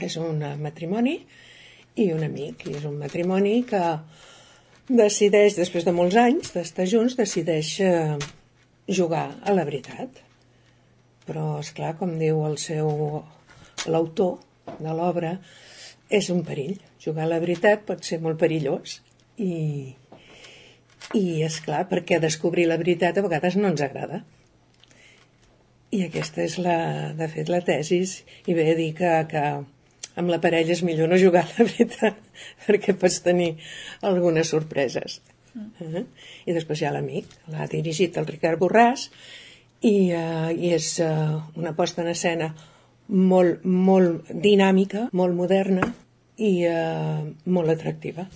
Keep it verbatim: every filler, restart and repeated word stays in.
És un matrimoni i un amic, i és un matrimoni que decideix, després de molts anys d'estar junts, decideix eh, jugar a la veritat. Però, esclar, com diu el seu l'autor de l'obra, és un perill. Jugar a la veritat pot ser molt perillós i, i esclar, perquè descobrir la veritat a vegades no ens agrada. I aquesta és, la, de fet, la tesis, i ve a dir que, que amb la parella és millor no jugar a la veritat, perquè pots tenir algunes sorpreses. Mm. Uh-huh. I després hi ha l'amic, l'ha dirigit el Ricard Borràs, i, uh, i és uh, una posta en escena molt, molt dinàmica, molt moderna i uh, molt atractiva.